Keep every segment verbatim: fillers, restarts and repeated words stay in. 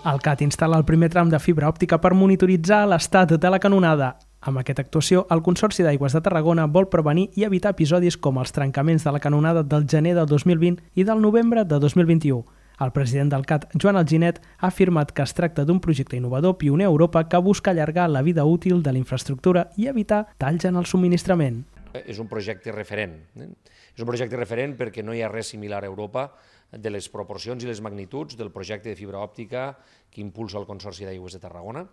El C A T instal·la el primer tram de fibra òptica per monitoritzar l'estat de la canonada. Amb aquesta actuació, el Consorci d'Aigües de Tarragona vol prevenir i evitar episodis com els trencaments de la canonada del gener del dos mil vint i del novembre de dos mil vint-i-u. El president del C A T, Joan Alginet, ha afirmat que es tracta d'un projecte innovador pioner a Europa que busca allargar la vida útil de la infraestructura i evitar talls en el subministrament. És un projecte referent. Eh? És un projecte referent perquè no hi ha res similar a Europa de les proporcions i les magnituds del projecte de fibra òptica que impulsa el Consorci d'Aigües de Tarragona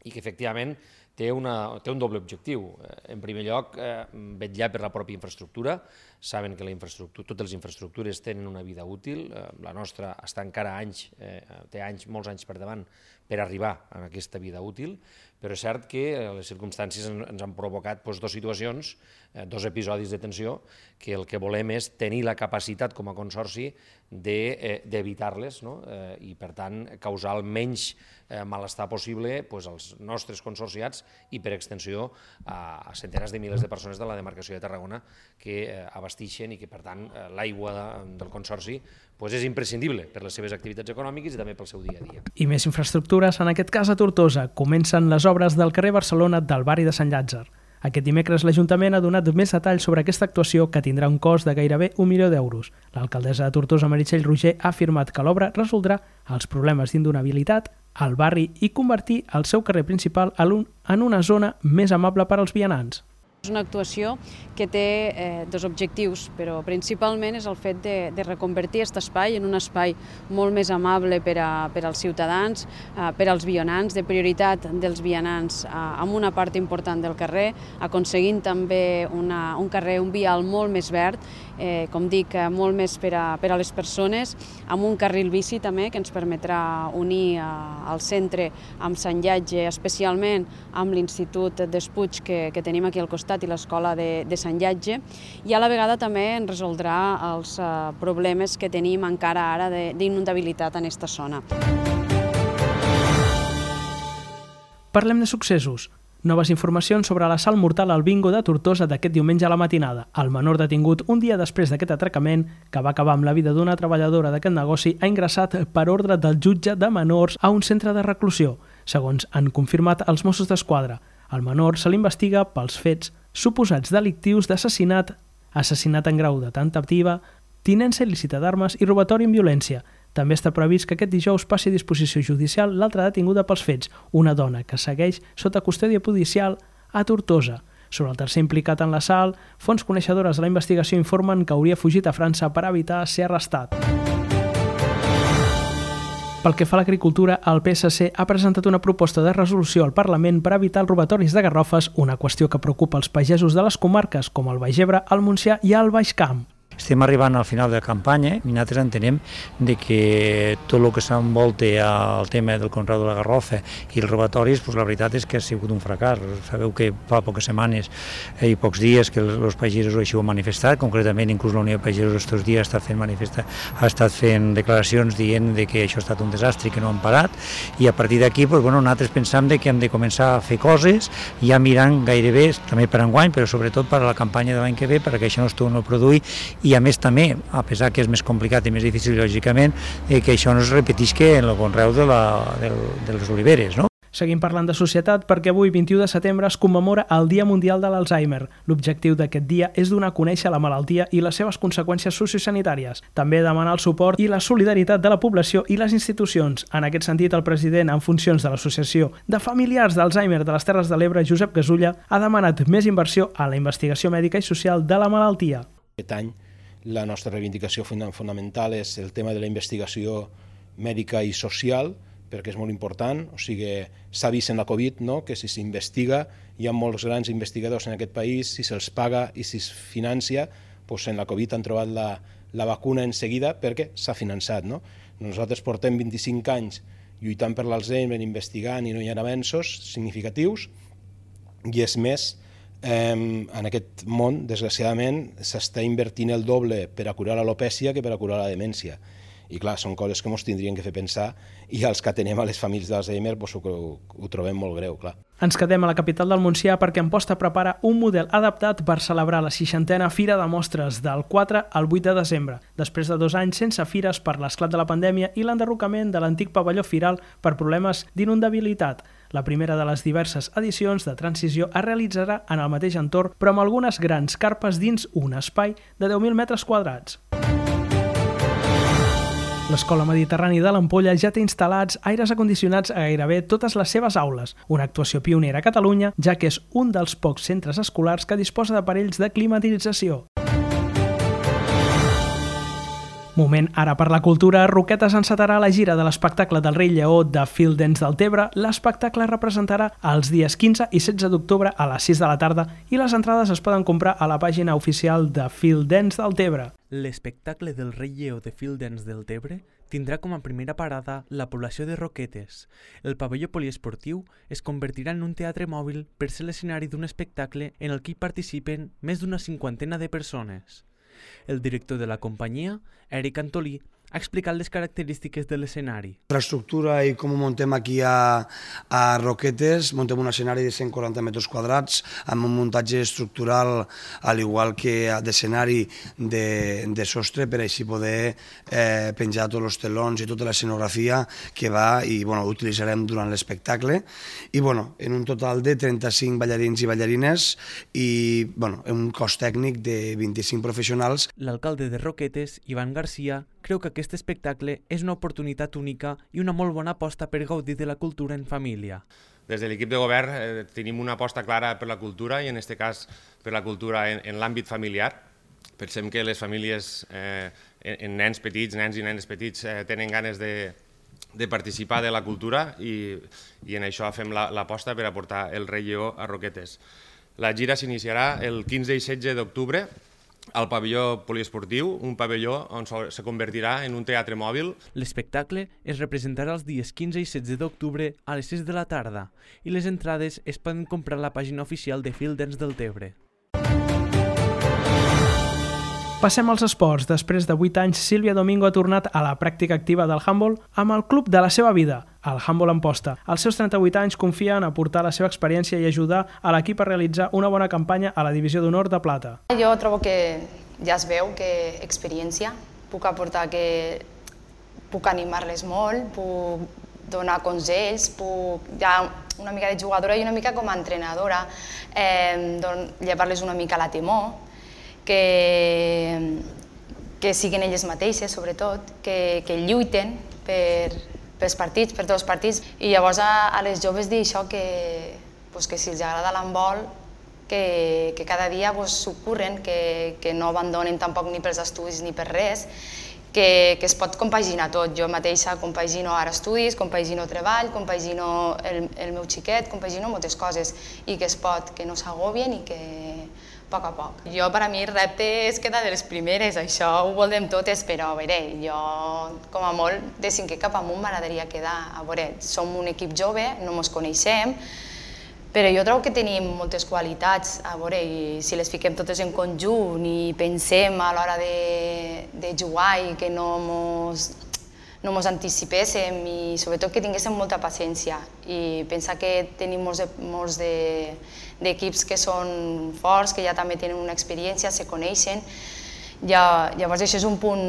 i que efectivament té, una, té un doble objectiu. En primer lloc, eh, vetllar per la pròpia infraestructura. Saben que la infraestructura, totes les infraestructures tenen una vida útil. Eh, la nostra està encara anys, eh, té anys, molts anys per davant per arribar a aquesta vida útil, però és cert que les circumstàncies ens han provocat doncs, dues situacions, eh, dos episodis de tensió, que el que volem és tenir la capacitat com a consorci d'evitar-les, no? eh, i per tant causar el menys eh, malestar possible doncs, als nostres consorciats i per extensió a, a centenars de milers de persones de la demarcació de Tarragona que eh, abastixen i que per tant eh, l'aigua de, del consorci doncs, és imprescindible per les seves activitats econòmiques i també pel seu dia a dia. I més infraestructures, en aquest cas a Tortosa, comencen les obres del carrer Barcelona del barri de Sant Llàtzer. Aquest dimecres l'Ajuntament ha donat més detalls sobre aquesta actuació que tindrà un cost de gairebé un milió d'euros. L'alcaldessa de Tortosa, Meritxell Roger, ha afirmat que l'obra resoldrà els problemes d'indonabilitat al barri i convertir el seu carrer principal en una zona més amable per als vianants. És una actuació que té eh, dos objectius, però principalment és el fet de, de reconvertir aquest espai en un espai molt més amable per, a, per als ciutadans, eh, per als vianants, de prioritat dels vianants eh, amb una part important del carrer, aconseguint també una, un carrer, un vial molt més verd, eh, com dic, eh, molt més per a, per a les persones, amb un carril bici també que ens permetrà unir eh, el centre amb Sant Llàtzer, especialment amb l'Institut d'Espuig que, que tenim aquí al costat i l'escola de, de Sant Llàtzer, i a la vegada també en resoldrà els eh, problemes que tenim encara ara d'inundabilitat en aquesta zona. Parlem de successos. Noves informacions sobre l'assalt mortal al bingo de Tortosa d'aquest diumenge a la matinada. El menor detingut un dia després d'aquest atracament, que va acabar amb la vida d'una treballadora d'aquest negoci, ha ingressat per ordre del jutge de menors a un centre de reclusió, segons han confirmat els Mossos d'Esquadra. El menor se l'investiga pels fets suposats delictius d'assassinat, assassinat en grau de tentativa, tinença il·lícita d'armes i robatori amb violència. També està previst que aquest dijous passi a disposició judicial l'altra detinguda pels fets, una dona que segueix sota custòdia policial a Tortosa. Sobre el tercer implicat en l'assalt, fonts coneixedores de la investigació informen que hauria fugit a França per evitar ser arrestat. Pel que fa a l'agricultura, el P S C ha presentat una proposta de resolució al Parlament per evitar els robatoris de garrofes, una qüestió que preocupa els pagesos de les comarques com el Baix Ebre, el Montsià i el Baix Camp. Estem arribant al final de la campanya i nosaltres entenem de que tot el que s'envolta al tema del conreu de la garrofa i els robatoris, doncs la veritat és que ha sigut un fracàs. Sabeu que fa poques setmanes i pocs dies que els pagesos així ho han manifestat, concretament inclús la Unió de Pagesos aquests dies ha estat fent, manifesta, ha estat fent declaracions dient de que això ha estat un desastre i que no han parat, i a partir d'aquí doncs, bueno, nosaltres pensam que hem de començar a fer coses ja mirant gairebé, també per enguany, però sobretot per a la campanya de l'any que ve, perquè això no es torni a produir. I a més també, a pesar que és més complicat i més difícil lògicament, eh, que això no es repetisca en el conreu de, la, de, de les oliveres, no? Seguim parlant de societat perquè avui, vint-i-u de setembre, es commemora el Dia Mundial de l'Alzheimer. L'objectiu d'aquest dia és donar a conèixer la malaltia i les seves conseqüències sociosanitàries. També demanar el suport i la solidaritat de la població i les institucions. En aquest sentit, el president en funcions de l'Associació de Familiars d'Alzheimer de les Terres de l'Ebre, Josep Gasulla, ha demanat més inversió a la investigació mèdica i social de la malaltia. Aquest any la nostra reivindicació fonamental és el tema de la investigació mèdica i social, perquè és molt important. O sigui, s'ha vist en la Covid, no?, que si s'investiga, hi ha molts grans investigadors en aquest país, si se'ls paga i si es financia, doncs en la Covid han trobat la, la vacuna en seguida perquè s'ha finançat, no? Nosaltres portem vint-i-cinc anys lluitant per l'Alzheimer, investigant, i no hi ha avenços significatius, i és més, Eh, en aquest món, desgraciadament, s'està invertint el doble per a curar l'alopècia que per a curar la demència. I clar, són coses que ens tindrien que fer pensar i els que atenem a les famílies d'Alzheimer doncs, ho, ho trobem molt greu, clar. Ens quedem a la capital del Montsià perquè Amposta prepara un model adaptat per celebrar la seixantena Fira de Mostres del quatre al vuit de desembre, després de dos anys sense fires per l'esclat de la pandèmia i l'enderrocament de l'antic pavelló firal per problemes d'inundabilitat. La primera de les diverses edicions de transició es realitzarà en el mateix entorn, però amb algunes grans carpes dins un espai de deu mil metres quadrats. L'Escola Mediterrani de l'Ampolla ja té instal·lats aires acondicionats a gairebé totes les seves aules, una actuació pionera a Catalunya, ja que és un dels pocs centres escolars que disposa d'aparells de climatització. Moment ara per la cultura, Roquetes encetarà la gira de l'espectacle del Rei Lleó de Fil Dents del Tebre. L'espectacle representarà els dies quinze i setze d'octubre a les sis de la tarda i les entrades es poden comprar a la pàgina oficial de Fil Dents del Tebre. L'espectacle del Rei Lleó de Fil Dents del Tebre tindrà com a primera parada la població de Roquetes. El pavelló poliesportiu es convertirà en un teatre mòbil per ser l'escenari d'un espectacle en el que hi participen més d'una cinquantena de persones. El director de la companyia, Eric Antolí, ha explicat les característiques de l'escenari. La estructura i com ho muntem aquí a, a Roquetes, muntem un escenari de cent quaranta metres quadrats amb un muntatge estructural al igual que d'escenari de, de sostre per així poder eh, penjar tots els telons i tota l'escenografia que va i bueno, utilitzarem durant l'espectacle. I bueno, en un total de trenta-cinc ballarins i ballarines i bueno, un cos tècnic de vint-i-cinc professionals. L'alcalde de Roquetes, Ivan Garcia, creu que aquest espectacle és una oportunitat única i una molt bona aposta per gaudir de la cultura en família. Des de l'equip de govern eh, tenim una aposta clara per la cultura i en aquest cas per la cultura en, en l'àmbit familiar. Pensem que les famílies, eh, en, en nens petits, nens i nenes petits, eh, tenen ganes de, de participar de la cultura i, i en això fem l'aposta per aportar el Rei Lleó a Roquetes. La gira s'iniciarà el quinze i setze d'octubre al pavelló poliesportiu, un pavelló on se convertirà en un teatre mòbil. L'espectacle es representarà els dies quinze i setze d'octubre a les sis de la tarda i les entrades es poden comprar a la pàgina oficial de Fil Dents del Tebre. Passem als esports. Després de vuit anys, Sílvia Domingo ha tornat a la pràctica activa del handbol amb el club de la seva vida, el Handbol Amposta. Als seus trenta-vuit anys confia en aportar la seva experiència i ajudar a l'equip a realitzar una bona campanya a la divisió d'honor de plata. Jo trobo que ja es veu que experiència, puc aportar que puc animar-les molt, puc donar consells, puc ja una mica de jugadora i una mica com a entrenadora, eh, llevar-les una mica la temor, que, que siguin elles mateixes, sobretot, que, que lluiten per, pels partits, per tots els partits. I llavors a, a les joves dir això, que, pues, que si els agrada l'handbol, que, que cada dia s'ho curren, que, que no abandonen tampoc ni pels estudis ni per res, que, que es pot compaginar tot. Jo mateixa compagino ara estudis, compagino treball, compagino el, el meu xiquet, compagino moltes coses i que es pot, que no s'agobien i que a poc a poc. Jo, per a mi, el repte és quedar de les primeres, això ho voldrem totes, però a veure, jo, com a molt, de cinquè cap amunt m'agradaria quedar. A veure, som un equip jove, no ens coneixem, però jo trobo que tenim moltes qualitats, a veure, i si les fiquem totes en conjunt i pensem a l'hora de, de jugar i que no mos, no mos anticipéssim i sobretot que tinguéssim molta paciència i pensar que tenim molts, de, molts de, d'equips que són forts, que ja també tenen una experiència, se coneixen. Ja, llavors això és un punt,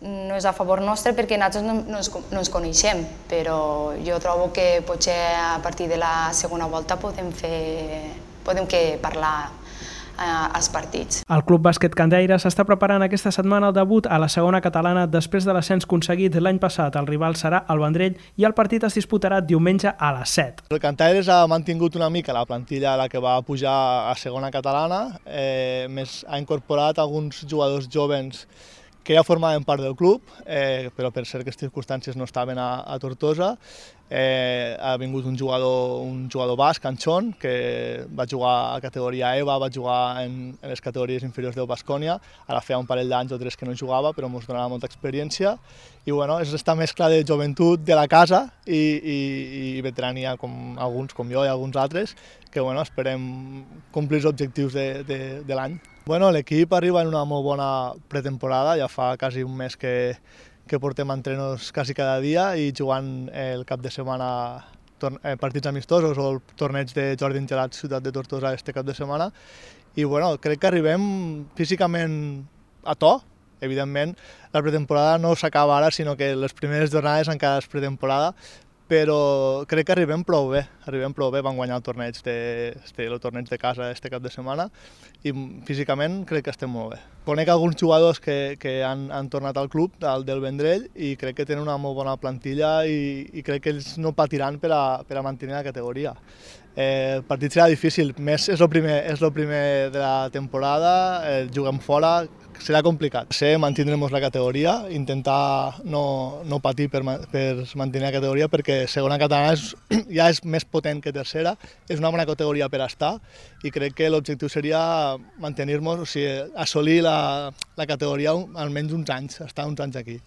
no és a favor nostre perquè nosaltres no, no, ens, no ens coneixem, però jo trobo que potser a partir de la segona volta podem, fer, podem que parlar als partits. El Club Bàsquet Candeires està preparant aquesta setmana el debut a la segona catalana després de l'ascens aconseguit l'any passat. El rival serà el Vendrell i el partit es disputarà diumenge a les set. El Candeires ha mantingut una mica la plantilla a la que va pujar a segona catalana, eh, més ha incorporat alguns jugadors jovens que ja formaven part del club, eh, però per certes circumstàncies no estaven a, a Tortosa. Eh, ha vingut un jugador, un jugador basc, Anchón, que va jugar a categoria E V A, va jugar en, en les categories inferiors del Baskonia. Ara feia un parell d'anys o tres que no jugava, però ens donava molta experiència. I bueno, és aquesta mescla de joventut de la casa i, i, i veterania, com alguns, com jo i alguns altres, que bueno, esperem complir els objectius de, de, de l'any. Bueno, l'equip arriba en una molt bona pretemporada, ja fa quasi un mes que, que portem entrenos quasi cada dia i jugant el cap de setmana partits amistosos o el torneig de Jordi Engelat Ciutat de Tortosa este cap de setmana. I bueno, crec que arribem físicament a to. Evidentment, la pretemporada no s'acaba ara, sinó que les primeres jornades encara és pretemporada, però crec que arribem prou bé, arribem prou bé, van guanyar el torneig de, el torneig de casa este cap de setmana i físicament crec que estem molt bé. Conec alguns jugadors que, que han, han tornat al club, al del Vendrell, i crec que tenen una molt bona plantilla i, i crec que ells no patiran per a, per a mantenir la categoria. Eh, el partit serà difícil, més és el primer, és el primer de la temporada, eh, juguem fora, serà complicat. Sí, mantindrem la categoria, intentar no, no patir per, per mantenir la categoria perquè segona catalana és, ja és més potent que tercera, és una bona categoria per estar i crec que l'objectiu seria mantenir-nos, o sigui, assolir la, la categoria almenys uns anys, estar uns anys aquí.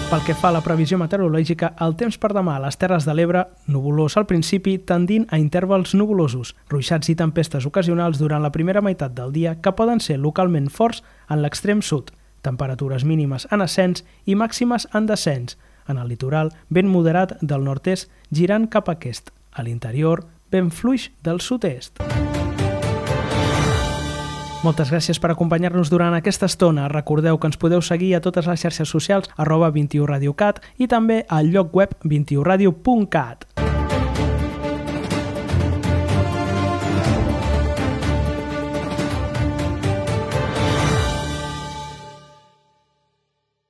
Pel que fa a la previsió meteorològica, el temps per demà a les Terres de l'Ebre, nuvolós al principi, tendint a intervals nuvolosos, ruixats i tempestes ocasionals durant la primera meitat del dia que poden ser localment forts en l'extrem sud, temperatures mínimes en ascens i màximes en descens. En el litoral, vent moderat del nord-est girant cap a aquest. A l'interior, vent fluix del sud-est. Moltes gràcies per acompanyar-nos durant aquesta estona. Recordeu que ens podeu seguir a totes les xarxes socials arroba vint i u Radio Cat i també al lloc web vint i u radio punt cat.